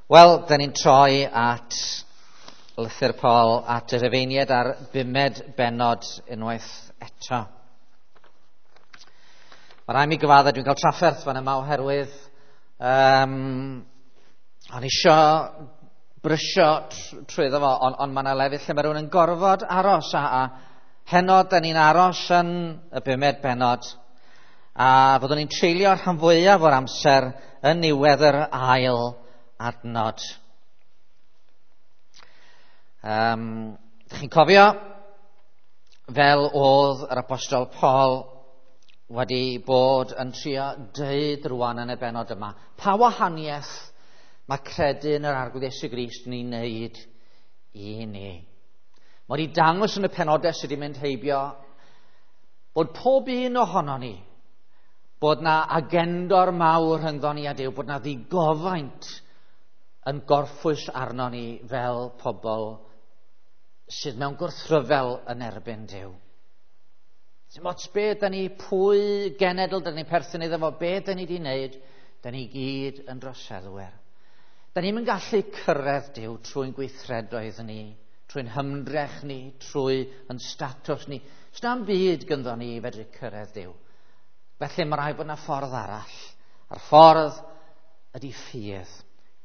Wel, da ni'n troi at lythyr Paul at y Rhufeiniaid ar bumed bennod unwaith eto. Mae rhaid mi gyfadde, dwi'n cael trafferth fan yma oherwydd o'n isio brysio trwyddo fo, ond mae yna lefydd lle mae rhywun yn gorfod aros, a heno da ni'n aros yn y bumed bennod, a fyddwn ni'n treulio rhan fwyaf o'r amser yn niwedd yr ail adnod. Dych chi'n cofio fel oedd yr apostol Paul wedi bod yn trio deud rwan yn y bennod yma, pa wahaniaeth mae credu yn yr Arglwydd Iesu Grist ni'n neud i ni? Mae wedi dangos yn y penodau sydd wedi mynd heibio bod pob un ohono ni, bod na agendor mawr rhyngddon ni a Duw, bod na ddigofaint yn gorffwys arno ni fel pobl sydd mewn gwrthryfel yn erbyn Duw. Dim ots be da ni, pwy genedl da ni'n perthyn iddo fo, be da ni wedi wneud, da ni gyd yn droseddwyr. Da ni'm yn gallu cyrraedd Duw trwy'n gweithredoedd ni, trwy'n hymdrech ni, trwy yn statws ni. S'na'm byd gynddo ni i fedru cyrraedd Duw. Felly mae rhaid bod yna ffordd arall. A'r ffordd ydy ffydd.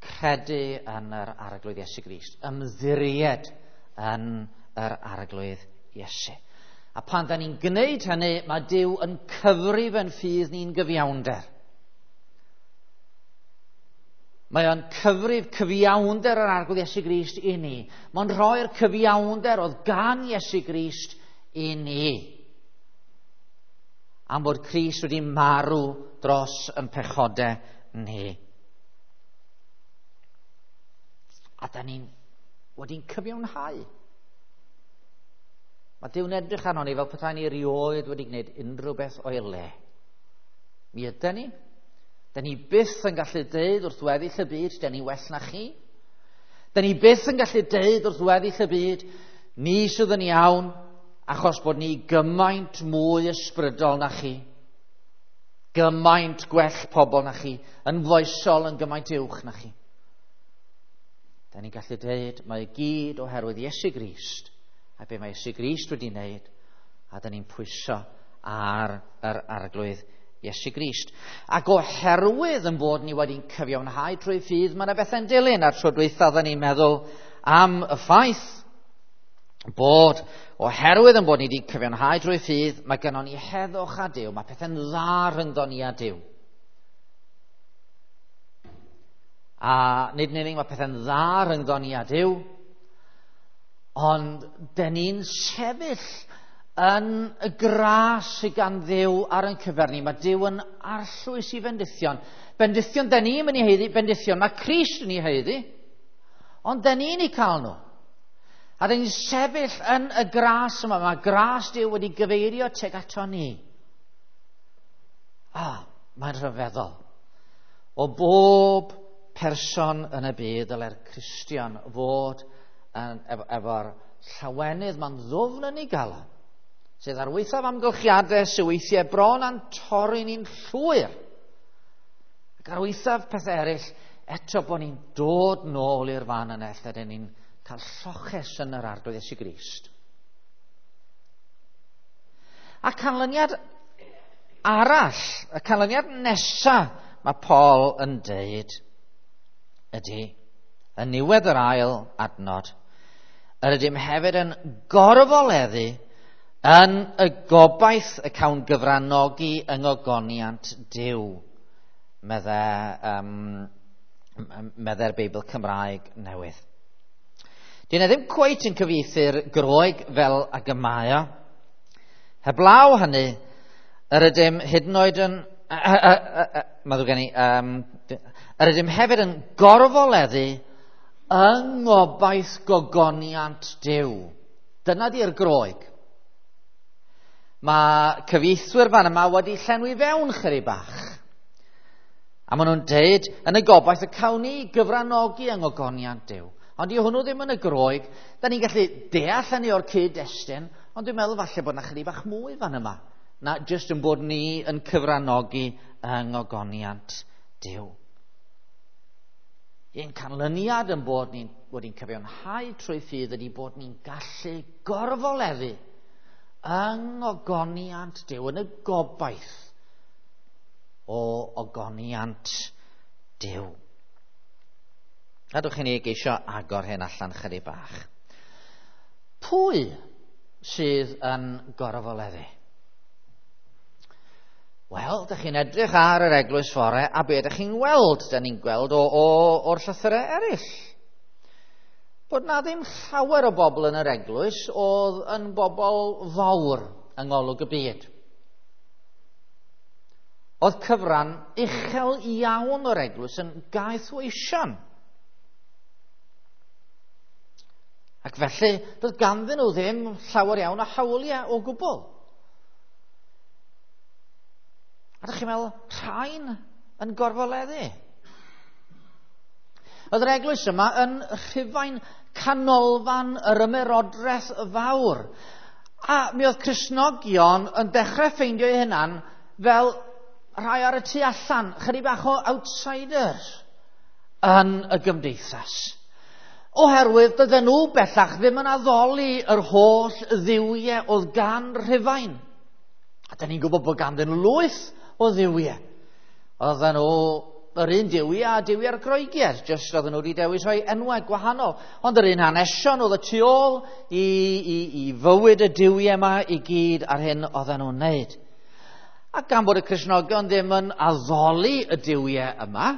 Credu yn yr Arglwydd Iesu Grist. Ymddiried yn yr Arglwydd Iesu. A pan da ni'n gwneud hynny, mae Duw yn cyfrif yn ffydd ni'n gyfiawnder. Mae o'n cyfrif cyfiawnder yr Arglwydd Iesu Grist i ni. Mae'n rhoi'r cyfiawnder oedd gan Iesu Grist i ni. Am bod Crist wedi marw dros yn pechodau ni. A da ni'n wedi'n cyfiawnhau. Mae Duw'n edrych arno ni fel petai ni erioed wedi gwneud unrhyw beth o'i le. Mi ydy ni. Da ni byth yn gallu deud wrth weddill y byd, da ni well na chi. Da ni byth yn gallu deud wrth weddill y byd, ni sydd yn iawn, achos bod ni gymaint mwy ysbrydol na chi. Gymaint gwell pobl na chi, yn foesol yn gymaint uwch na chi. Da ni'n gallu deud, mae i gyd oherwydd Iesu Grist, a be mae Iesu Grist wedi wneud, a da ni'n pwyso ar yr Arglwydd Iesu Grist. Ac oherwydd yn bod ni wedi'n cyfiawnhau trwy ffydd, mae yna bethau'n dilyn. A'r tro dwytha oedden ni'n meddwl am y ffaith bod oherwydd yn bod ni wedi cyfiawnhau trwy ffydd, mae gynnon ni heddwch â Duw, mae pethau'n dda rhyngddon ni a Duw. A nid yn unig mae pethau'n dda rhyngddon ni a Duw, ond dyn ni'n sefyll yn y gras sydd gan Dduw ar ein cyfer ni. Mae Duw yn arllwys i fendithion. Bendithion dyn ni'n mynd i haeddu, bendithion mae Crist yn ei haeddu, ond dyn ni'n ei cael nhw. A dyn ni'n sefyll yn y gras yma. Mae gras Duw wedi gyfeirio tuag ato ni. Mae'n rhyfeddol. O bob person yn y byd, dylai'r Cristion fod efo'r llawenydd ma'n ddwfn yn ei galon, sydd ar waethaf amgylchiadau sydd weithiau bron a'n torri ni'n llwyr, ac ar waethaf pethau eraill, eto bod ni'n dod nôl i'r fan yna lle dyn ni'n cael lloches yn yr Arglwydd Iesu Grist. A canlyniad arall, y canlyniad nesa mae Paul yn deud ydy, yn niwedd yr ail adnod, yr ydym hefyd yn gorfoleddu yn y gobaith y cawn gyfranogi yng ngogoniant Duw, meddai'r Beibl Cymraeg newydd. Dyna ddim cweit yn cyfieithu'r Groeg fel ag y mae o. Heblaw hynny, yr ydym hyd yn oed yn... Mae ddrwg gen i, yr ydym hefyd yn gorfoleddu yng ngobaith gogoniant Duw. Dyna di'r Groeg. Mae cyfieithwyr fan yma wedi llenwi fewn chydig bach. A maen nhw'n deud yn y gobaith y cawn ni gyfranogi yng ngogoniant Duw. Ond di hwnnw ddim yn y Groeg. Da ni'n gallu deall hynny o'r cyd-destun, ond dwi'n meddwl falle bod na chydig bach mwy fan yma na jyst yn bod ni yn cyfranogi yng ngogoniant Duw. Un canlyniad yn bod ni'n wedi'n cyfiawnhau trwy ffydd ydy bod ni'n gallu gorfoleddu yng ngogoniant Duw, yn y gobaith o ogoniant Duw. Gadwch i ni geisio agor hyn allan chydig bach. Pwy sydd yn gorfoleddu? Wel, dych chi'n edrych ar yr eglwys fore, a be ydych chi'n weld? Dyn ni'n gweld o'r llythyrau eraill. Bod na ddim llawer o bobl yn yr eglwys oedd yn bobl fawr yng ngolwg y byd. Oedd cyfran uchel iawn o'r eglwys yn gaethweision. Ac felly, doedd ganddyn nhw ddim llawer iawn o hawliau o gwbl. A ydych chi'n meddwl, rhain yn gorfoleddu. Oedd yr eglwys yma yn Rhufain, canolfan yr ymerodraeth fawr. A mi oedd Cristnogion yn dechrau ffeindio eu hunan fel rhai ar y tu allan, chydig bach o outsiders yn y gymdeithas. Oherwydd dydyn nhw bellach ddim yn addoli yr holl dduwiau oedd gan Rhufain. A dyn ni'n gwybod bod ganddyn nhw lwyth o dduwiau. Oedden nhw yr un duwiau a duwiau'r Groegiaid, jyst oedden nhw wedi dewis rhoi enwau gwahanol. Ond yr un hanesion oedd y tu ôl i fywyd y duwiau yma i gyd ar hyn oedden nhw'n wneud. A gan bod y Cristnogion ddim yn addoli y duwiau yma,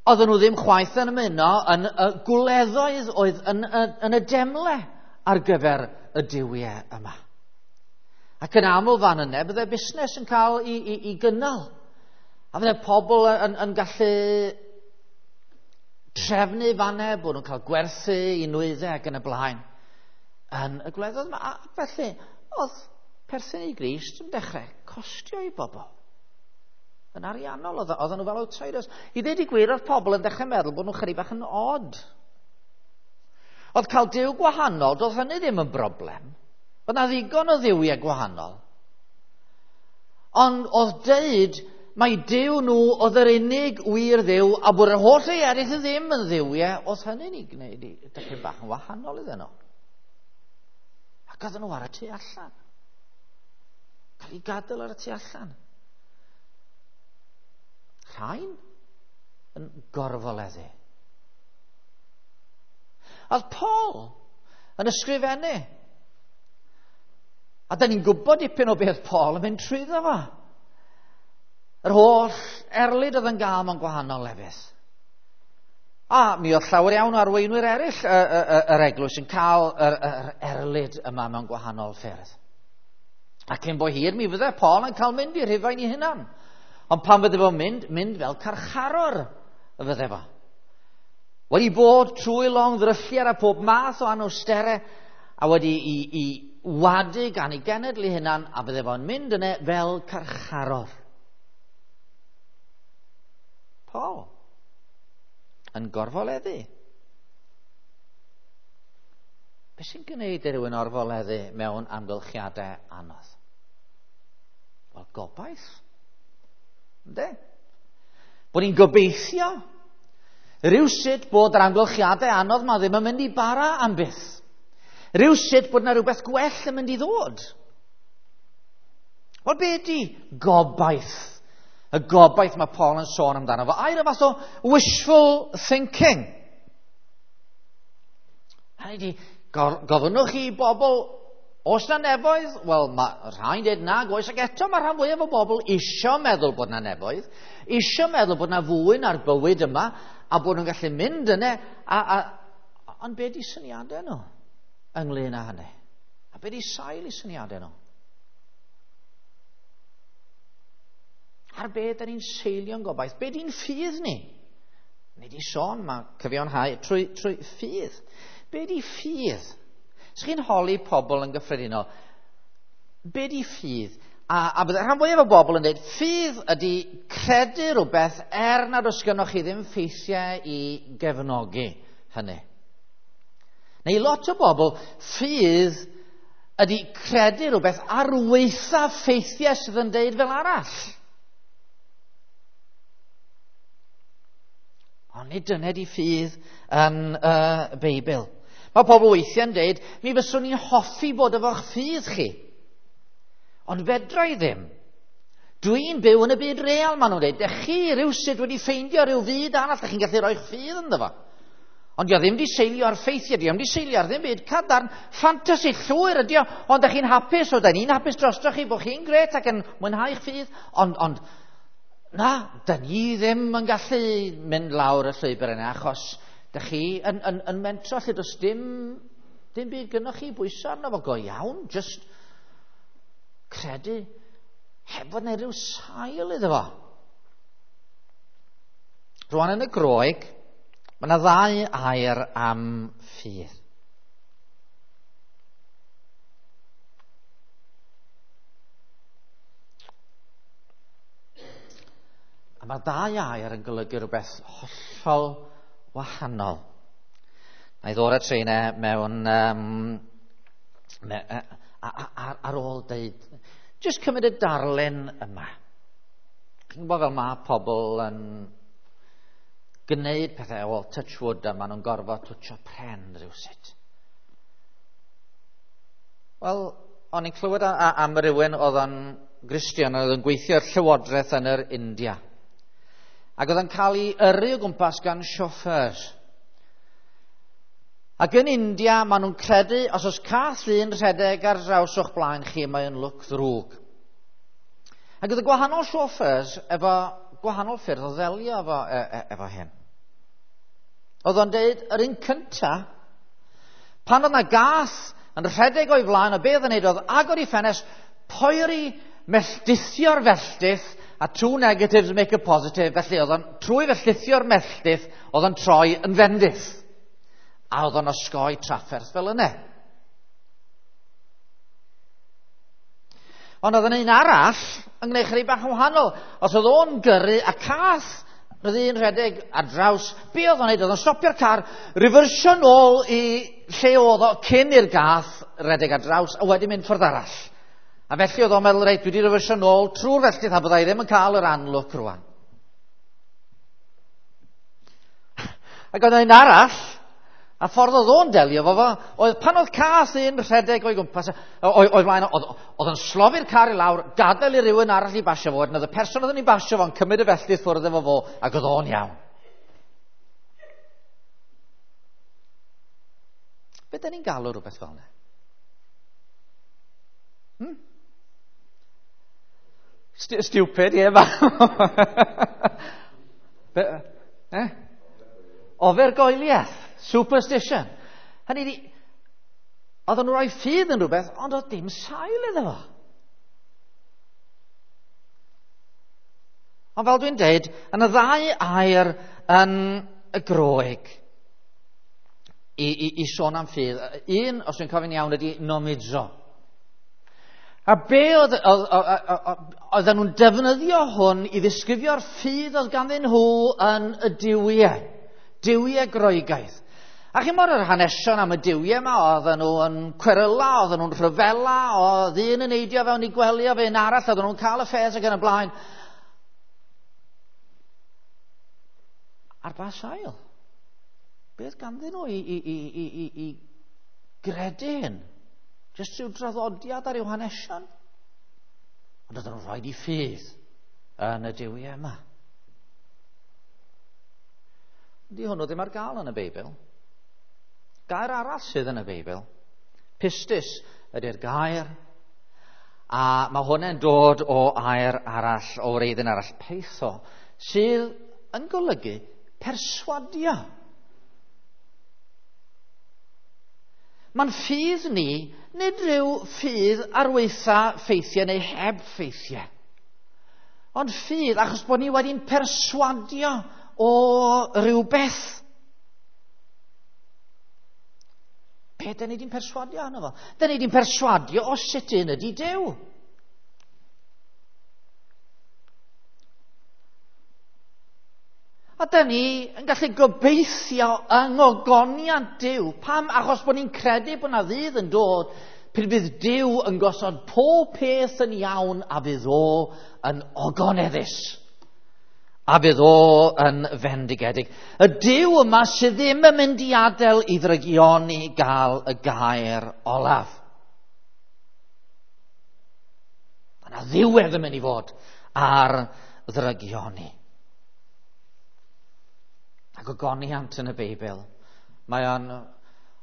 oedden nhw ddim chwaith yn ymuno yn y gwleddoedd oedd yn y demle ar gyfer y duwiau yma. Ac yn aml fan yna, bydde busnes yn cael i gynnal. A fydde pobl yn gallu trefnu fan yna, bod nhw'n cael gwerthu i nwyddau ac yn y blaen. Yn y gwledydd yma. A felly, oedd perthyn i Grist yn dechrau costio i bobl. Yn ariannol, oedden nhw fel outsiders. I ddweud i gwir, oedd pobl yn dechrau meddwl bod nhw'n chydig bach yn odd. Oedd cael Duw gwahanol, doedd hynny ddim yn broblem. Oedd na ddigon o dduwiau gwahanol. Ond oedd deud mai Duw nhw oedd yr unig wir Dduw a bod yr holl rhai eraill ddim yn dduwiau, oedd hynny'n ei gwneud i dipyn bach yn wahanol iddyn nhw. Ac oedden nhw ar y tu allan. Cael ei gadael ar y tu allan. Rhain yn gorfoleddu. Oedd Paul yn ysgrifennu. A da ni'n gwybod dipyn o beth Paul yn mynd trwyddo fo. Yr holl erlid oedd yn gael mewn gwahanol lefydd. A mi oedd llawer iawn o arweinwyr eraill yr eglwys yn cael yr erlid yma mewn gwahanol ffyrdd. A cyn bo hir mi fydde Paul yn cael mynd i Rhufain i hunan. Ond pan fydde fo'n mynd fel carcharor y fydde fo. Wedi bod trwy long ddrylliad a pob math o anawsterau a wedi i wadu gan ei genedl ei hunan, a fydde fo'n mynd yna fel carcharor. Paul yn gorfoleddu. Be sy'n gwneud i rywun orfoleddu mewn amgylchiadau anodd? Wel, gobaith. Ynde? Bod ni'n gobeithio rywsut bod yr amgylchiadau anodd ma ddim yn mynd i bara am byth. Rywsut bod yna rhywbeth gwell yn mynd i ddod. Wel, be ydi gobaith? Y gobaith mae Paul yn sôn amdano fo. Air y fath o wishful thinking. Hynny ydi, gofynnwch chi i bobl, oes na nefoedd? Wel, mae rhai'n dweud nag oes, ac eto mae rhan fwyaf o bobl isio meddwl bod na nefoedd, isio meddwl bod na fwy na'r bywyd yma, a bod nhw'n gallu mynd yna, ond be di syniadau nhw ynglyn â hynny? A be di sail i syniadau nhw? Ar be da ni'n seilio'n gobaith? Be di'n ffydd ni? Ni di sôn, mae cyfiawnhau trwy ffydd. Be di ffydd? Os chi'n holi pobl yn gyffredinol, be di ffydd? A bydde rhan fwyaf o bobl yn dweud, ffydd ydy credu rhywbeth er nad oes gynnoch chi ddim ffeithiau i gefnogi hynny. Neu lot o bobl, ffydd ydy credu rhywbeth ar weitha ffeithiau sydd yn deud fel arall. Ond nid dyna di ffydd yn y Beibl. Mae pobl weithiau'n deud, mi fyswn i'n hoffi bod efo'ch ffydd chi. Ond fedra i ddim. Dwi'n byw yn y byd real, maen nhw'n dweud. Dych chi rhywsut wedi ffeindio rhyw fyd arall, dych chi'n gallu rhoi'ch ffydd ynddo fo. Ond dio ddim di seilio ar ffeithiau, dio ddim di seilio ar ddim byd cadarn, ffantasi llwyr ydi o, ond dych chi'n hapus, o da ni'n hapus drosto chi, bod chi'n gret ac yn mwynhau'ch ffydd, ond na, da ni ddim yn gallu mynd lawr y llwybr yna, achos dych chi yn mentro lle does dim byd gynnoch chi bwyso arno fo go iawn, just credu heb fod yna rhyw sail iddo fo. Rwan yn y Groeg, mae yna ddau air am ffydd. A mae'r ddau air yn golygu rhywbeth hollol wahanol. Na i ddod at rheina mewn ar ôl deud, jyst cymryd y darlun yma. Chi'n gwybod fel mae pobl yn gwneud pethau, well, touch wood, a maen nhw'n gorfod twtsio pren rhywsut. Wel, o'n i'n clywed am rywun oedd yn Gristion, oedd yn gweithio i'r llywodraeth yn yr India. Ac oedd yn cael ei yrru o gwmpas gan chauffeurs. Ac yn India, maen nhw'n credu, os oes cath un rhedeg ar draws o'ch blaen chi, mae'n lwc ddrwg. Ac oedd y gwahanol chauffeurs efo gwahanol ffyrdd o ddelio efo hyn. Oedd o'n deud, yr un cynta, pan oedd na gath yn rhedeg o'i flaen, o be oedd yn neud oedd agor i ffenest, poeri melldithio'r felltith, a two negatives make a positive, felly oedd o'n, trwy felldithio'r melltith, oedd o'n troi yn fendith. A oedd o'n osgoi trafferth fel yna. Ond oedd yn un arall yn gwneud chydig bach yn wahanol. Os oedd o'n gyrru a cath, roedd un rhedeg ar draws, be oedd o'n neud? Oedd o'n stopio'r car, refersio nôl i lle oedd o cyn i'r gath redeg ar draws, a wedyn mynd ffordd arall. A felly oedd o'n meddwl, reit, dwi wedi refersio nôl trwy'r felltith a byddai ddim yn cael yr anlwc rwan. Ac oedd un arall, a ffordd oedd o'n delio efo fo, oedd pan oedd cath un rhedeg o'i gwmpas, o'i flaen, oedd yn slofi'r car i lawr, gadael i rywun arall i basio fo, wedyn oedd y person oedd yn ei basio fo'n cymryd y felltith ffwrdd efo fo, ac oedd o'n iawn. Be da ni'n galw rhywbeth fel yna? Stupid, ie. Yeah, Ofergoeliaeth, superstition. Hynny ydi, oedden nhw'n rhoi ffydd yn rhywbeth, ond oedd dim sail iddo fo. Ond fel dwi'n deud, yn y ddau air yn y Groeg i sôn am ffydd, un, os dwi'n cofio'n iawn, ydi nomizo. A be oedden nhw'n defnyddio hwn i ddisgrifio'r ffydd oedd ganddyn nhw yn y duwiau, duwiau Groegaidd. A chi'n bod yr hanesion am y duwiau yma, oedden nhw yn cweryla, oedden nhw'n rhyfela, oedd un yn neidio fewn i gwely o fe un arall, oedden nhw'n cael y ffes ac yn y blaen. Ar ba sail? Beth ganddyn nhw i gredu hyn? Jyst rhyw draddodiad ar i'w hanesion? Ond oedden nhw'n rhoi i ffydd yn y duwiau yma. Di hwnnw ddim ar gael yn y Beibl. Gair arall sydd yn y Beibl, pistis ydy'r gair, a mae hwnna'n dod o air arall, o wreiddyn arall, peitho, sydd yn golygu perswadio. Mae'n ffydd ni, nid rhyw ffydd ar weitha ffeithiau neu heb ffeithiau. Ond ffydd achos bod ni wedi'n perswadio o rywbeth. Be da ni wedi'n perswadio arno fo? Da ni wedi'n perswadio o sut un ydi Duw. A da ni yn gallu gobeithio yng ngogoniant Duw. Pam? Achos bod ni'n credu bod na ddydd yn dod pryd bydd Duw yn gosod pob peth yn iawn a fydd o yn ogoneddus. A fydd o yn fendigedig. Y Duw yma sydd ddim yn mynd i adael i ddrygioni gael y gair olaf. Mae yna ddiwedd yn mynd i fod ar ddrygioni. Ac ogoniant yn y Beibl. Mae o'n...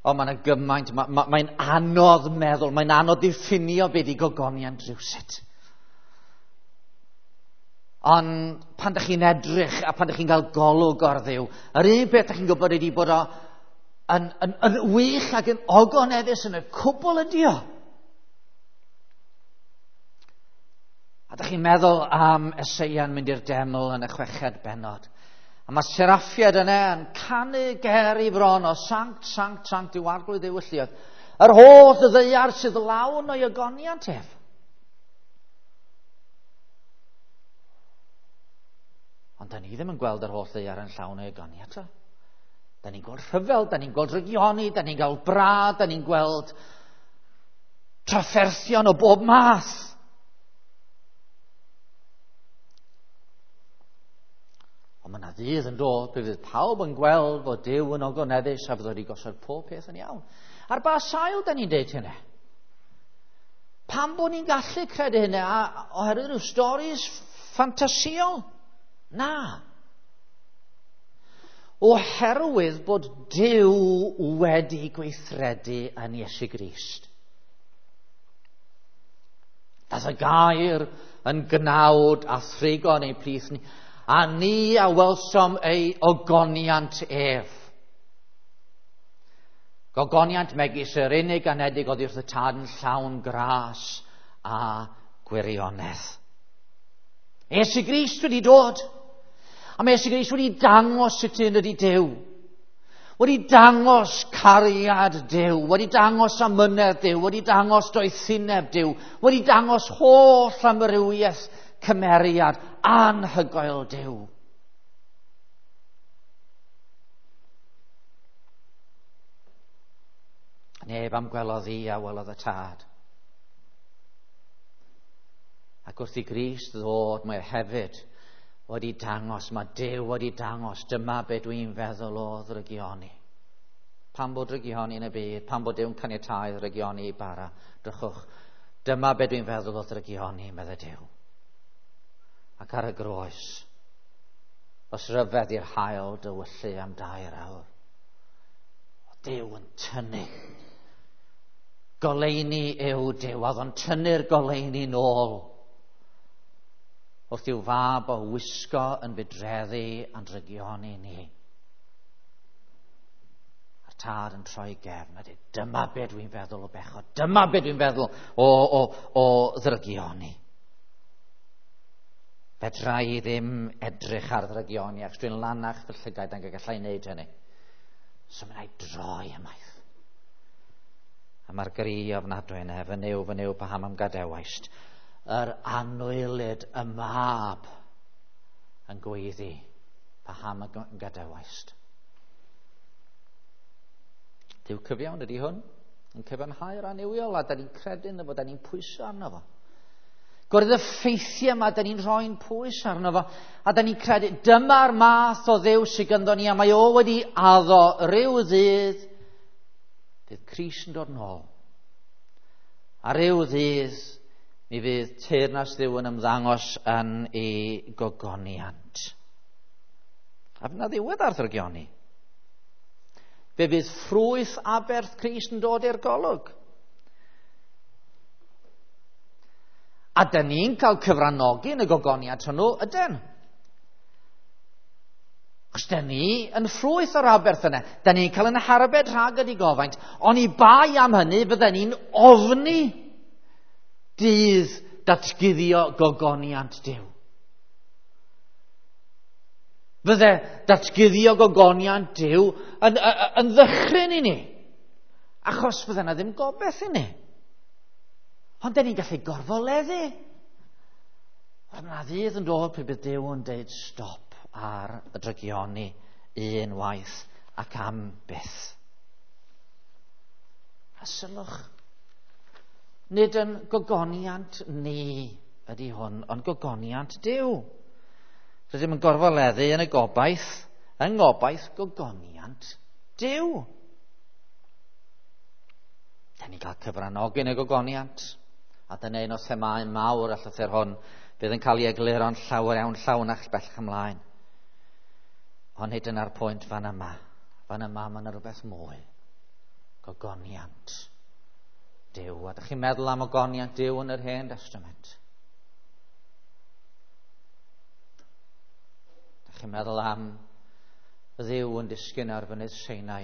O, mae yna gymaint, mae'n anodd meddwl, mae'n anodd diffinio beth i gogoniant rhywsut. Ond pan ydych chi'n edrych a pan ydych chi'n cael golwg ar Dduw, yr un peth ydych chi'n gwybod ydy bod o yn wych ac yn ogoneddus yn y cwbl ydi o. A ydych chi'n meddwl am Eseia'n mynd i'r deml yn y 6fed bennod. A mae seraffiad yna yn canu ger i fron o sanct, sanct, sanct yw arglwydd Dduw y lluoedd. Yr holl ddaear sydd lawn o'i ogoniant ef. Ond da ni ddim yn gweld yr holl ddaear yn llawn o'i ogoniant o. Da ni'n gweld rhyfel, da ni'n gweld rygioni, da ni'n gweld brad, da ni'n gweld trafferthion o bob math. Ond mae yna ddydd yn dod, pe fydd pawb yn gweld fod Duw yn ogoneddus a fydd wedi gosod pob peth yn iawn. Ar ba sail da ni'n deud hynny? Pam bod ni'n gallu credu hynny? A oherwydd rhyw storis ffantasïol? Na. Oherwydd bod Duw wedi gweithredu yn Iesu Grist. Dath y gair yn gnawd a thrigo yn ein plith ni, a ni a welsom ei ogoniant ef. Gogoniant megis yr unig anedig oddi wrth y tad yn llawn gras a gwirionedd. Iesu Grist wedi dod. A mae Iesu Grist wedi dangos sut un ydi Duw. Wedi dangos cariad Duw, wedi dangos amynedd Duw, wedi dangos doethineb Duw, wedi dangos holl amrywiaeth cymeriad anhygoel Duw. Neb am gwelodd i a welodd y tad. Ac wrth i Grist ddod, mae hefyd wedi dangos, mae Duw wedi dangos, dyma be dwi'n feddwl o ddrygioni. Pam bod drygioni yn y byd, pam bod Duw'n caniatáu ddrygioni i bara, drychwch, dyma be dwi'n feddwl o ddrygioni, meddai Duw. Ac ar y groes, os ryfedd i'r haul dywyllu am 2 awr, o Duw yn tynnu. Goleuni yw Duw, a oedd o'n tynnu'r goleuni nôl. Wrth i'w fab o wisgo yn fudreddi a'n drygioni ni. A'r tad yn troi gefn a dweud, dyma be dwi'n feddwl o bechod, dyma be dwi'n feddwl o ddrygioni. Fedra i ddim edrych ar ddrygioni, achos dwi'n lanach fy llygaid ac gallai wneud hynny. So mae'n rhaid droi ymaith. A mae'r gri ofnadwy yna, fy Nuw, fy Nuw, paham am gadawaist? Yr anwylyd y mab yn gweiddi, paham am gadawaist? Duw cyfiawn ydy hwn, yn cyfiawnhau'r annuwiol, a da ni'n credu ynddo fo, da ni'n pwyso arno fo. Gwrdd y ffeithiau yma, da ni'n rhoi'n pwys arno fo, a da ni'n credu, dyma'r math o Dduw sydd ganddo ni, a mae o wedi addo ryw ddydd, bydd Crist yn dod nôl. A ryw ddydd, mi fydd teyrnas Dduw yn ymddangos yn ei gogoniant. A fydd na ddiwedd ar ddrygioni. Fe fydd ffrwyth aberth Crist yn dod i'r golwg. A dyn ni'n cael cyfranogi yn y gogoniant hwnnw, ydyn? Achos dyn ni yn ffrwyth o'r aberth yna. Dyn ni'n cael yn harbed rhag y digofaint. Ond i bai am hynny, bydden ni'n ofni dydd datguddio gogoniant Duw. Fydde datguddio gogoniant Duw yn ddychryn i ni. Achos fydde yna ddim gobaith i ni. Ond dyn ni'n gallu gorfoleddu. Ond yna ddydd yn dod pryd bydd Duw yn deud stop ar y drygioni unwaith ac am byth. A sylwch, nid yn gogoniant ni ydy hwn, ond gogoniant Duw. Rydym yn gorfoleddu yn y gobaith, yng ngobaith gogoniant Duw. Da ni'n cael cyfranogi yn y gogoniant. A dyna un o themâu mawr y llythyr hwn fydd yn cael ei egluro'n llawer iawn llawnach bellach ymlaen. Ond nid dyna'r pwynt fan yma. Fan yma mae yna rhywbeth mwy. Gogoniant Duw. A dych chi'n meddwl am ogoniant Duw yn yr Hen Testament? Dych chi'n meddwl am Dduw yn disgyn ar fynydd Sinai,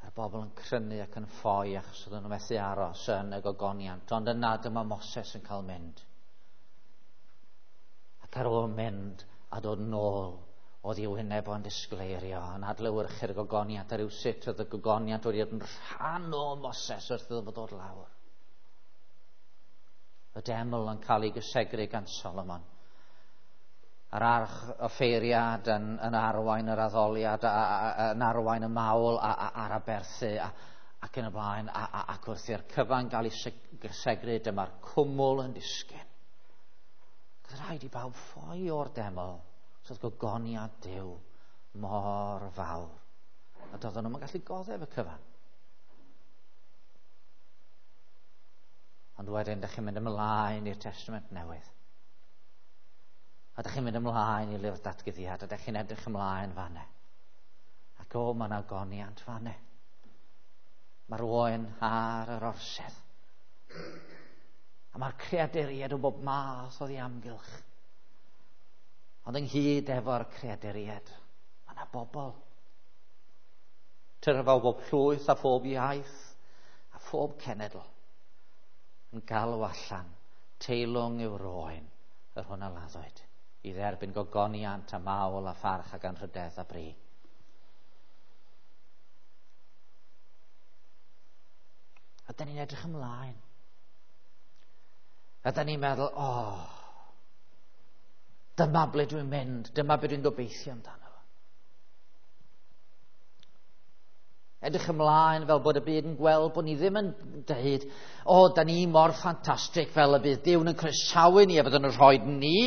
a'r bobl yn crynu ac yn ffoi achos oedden nhw methu aros yn y gogoniant. Ond yna dyma Moses yn cael mynd. Ac ar ôl mynd a dod nôl, oedd ei wyneb o'n disgleirio, yn adlewyrchu'r gogoniant, a rhywsut oedd y gogoniant wedi bod yn rhan o Moses wrth iddo fo ddod lawr. Y deml yn cael ei gysegru gan Solomon. A'r arch offeiriad yn arwain yr addoliad, yn arwain y mawl a'r aberthu ac yn y blaen, ac wrth i'r cyfan gael ei gysegru, dyma'r cwmwl yn disgyn. Oedd rhaid i bawb ffoi o'r deml, so oedd gogoniad Duw mor fawr. A doedden nhw'm yn gallu goddef y cyfan. Ond wedyn, dych chi'n mynd ymlaen i'r Testament Newydd. A dych chi'n mynd ymlaen i lyfr datguddiad, a dych chi'n edrych ymlaen fanne. Ac o, mae yna goniant fanne. Mae'r oen ar yr orsedd. A mae'r creaduriaid o bob math oddi amgylch. Ond ynghyd efo'r creaduriaid, mae yna bobl. Tyrfa o bob llwyth a phob iaith a phob cenedl yn galw allan, teilwng yw'r oen, yr hwn a laddwyd, i dderbyn gogoniant a mawl a pharch ac anrhydedd a bri. A da ni'n edrych ymlaen. A da ni'n meddwl, o, dyma ble dwi'n mynd, dyma be dwi'n gobeithio amdano. Edrych ymlaen fel bod y byd yn gweld bod ni ddim yn dweud, o, da ni mor ffantastig fel y bydd Duw yn croesawu ni a fydd yn rhoi ni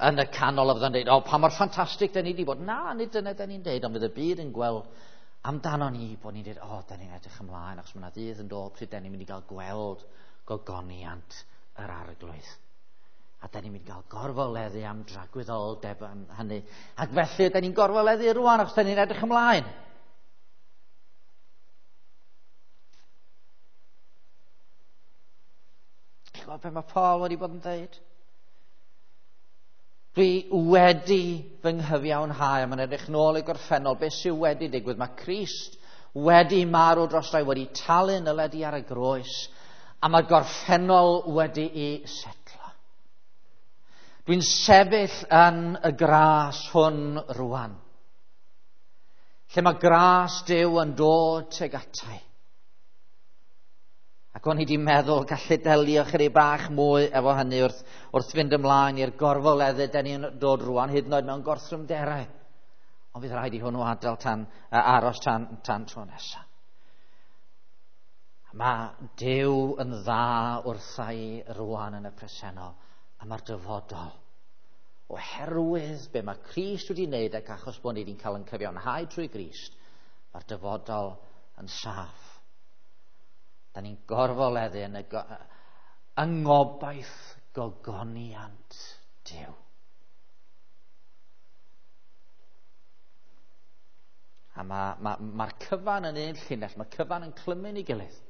yn y canol a fydd yn dweud, o, pa mor ffantastig da ni wedi bod. Na, nid dyna da ni'n dweud, ond fydd y byd yn gweld amdano ni bod ni'n dweud, o, da ni'n edrych ymlaen, achos mae yna ddydd yn dod pryd da ni'n mynd i gael gweld gogoniant yr Arglwydd. A da ni'n mynd i gael gorfoleddu am dragwyddoldeb am hynny. Ac felly, da ni'n gorfoleddu rwan, achos da ni'n edrych ymlaen. Chi'n gwybod beth mae Paul wedi bod yn dweud? Dwi wedi fy nghyfiawnhau, a mae'n edrych nôl i gorffennol, beth sydd wedi digwydd? Mae Crist wedi marw dros rai, wedi talu nyledi ar y groes, a mae'r gorffennol wedi'i setlo. Dwi'n sefyll yn y gras hwn rwan, lle mae gras Duw yn dod tuag atai. Ac o'n i wedi meddwl gallu delio chydig bach mwy efo hynny wrth fynd ymlaen i'r gorfoleddu da ni'n dod rwan, hyd yn oed mewn gorthrymderau. Ond fydd rhaid i hwnnw adael tan, aros tan tro nesaf. Mae Duw yn dda wrtha i rwan yn y presennol, a mae'r dyfodol. Oherwydd be mae Crist wedi wneud ac achos bod ni wedi'n cael ein cyfiawnhau trwy Grist, mae'r dyfodol yn saff. Da ni'n gorfoleddu yn yng ngobaith gogoniant Duw. A mae'r cyfan yn un llinell, mae'r cyfan yn clymu'n ei gilydd.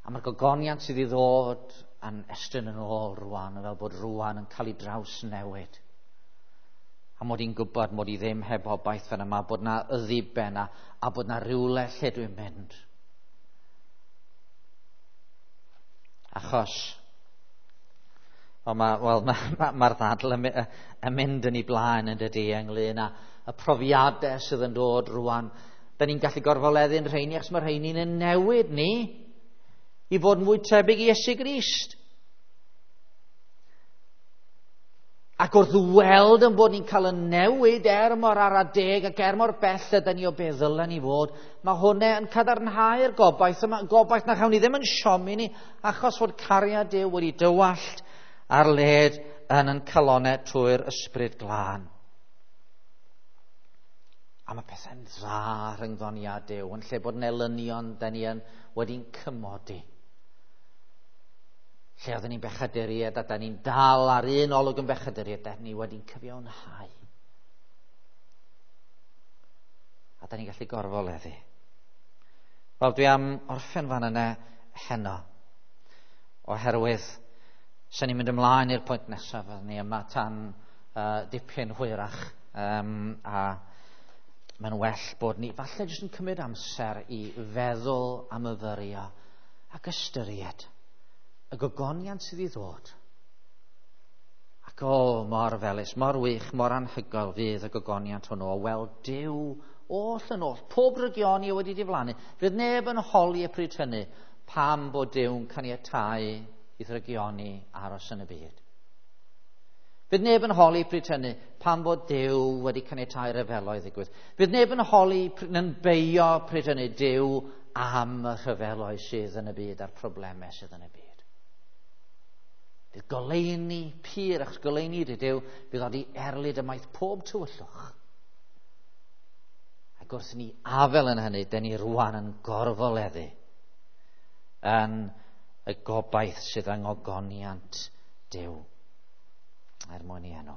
A mae'r gogoniant sydd i ddod yn estyn yn ôl rwan, fel bod rwan yn cael ei drawsnewid. A mod i'n gwybod mod i ddim heb obaith fan yma, bod na ddiben a bod na rywle lle dwi'n mynd. Achos, mae'r ddadl yn mynd yn ei blaen yn dydi ynglyn â y profiadau sydd yn dod rwan. Da ni'n gallu gorfoleddu'n rheini, achos mae'r rheini'n yn newid ni i fod yn fwy tebyg i Iesu Grist. Ac wrth weld yn bod ni'n cael y newid er mor ara deg ac er mor bell ydy ni o be ddylen ni fod, mae hwnna yn cadarnhau'r gobaith yma, gobaith na chawn ni ddim yn siomi ni, achos fod cariad Duw wedi dywallt ar led yn yn calonau trwy'r Ysbryd Glân. A mae pethau'n dda rhyngddon ni a Duw, yn lle bod yn elynion, da ni yn wedi'n cymodi. Lle oedden ni'n bechaduriaid a da ni'n dal ar un olwg yn bechaduriaid, da ni wedi'n cyfiawnhau. A da ni'n gallu gorfoleddu. Wel, dwi am orffen fan yna heno, oherwydd sy'n ni'n mynd ymlaen i'r pwynt nesaf, fyddwn ni yma tan dipyn hwyrach, a mae'n well bod ni falle jyst yn cymryd amser i feddwl a myfyrio ac ystyried y gogoniant sydd i ddod. Ac o, mor felys, mor wych, mor anhygoel fydd y gogoniant hwnnw o weld Duw oll yn oll, pob rygioni wedi diflannu. Fydd neb yn holi y pryd hynny pam bod Duw'n caniatáu i ddrygioni aros yn y byd. Fydd neb yn holi pryd hynny pam bod Duw wedi caniatáu rhyfeloedd ddigwydd. Fydd neb yn holi yn beio pryd hynny Duw am y rhyfeloedd sydd yn y byd a'r problemau sydd yn y byd. Fydd goleuni pur, achos goleuni ydy Duw, fydd oed i erlid ymaith pob tywyllwch. Ac wrth ni afel yn hynny, dyn ni rwan yn gorfoleddu yn y gobaith sydd yng ngogoniant Duw er mwyn i enw.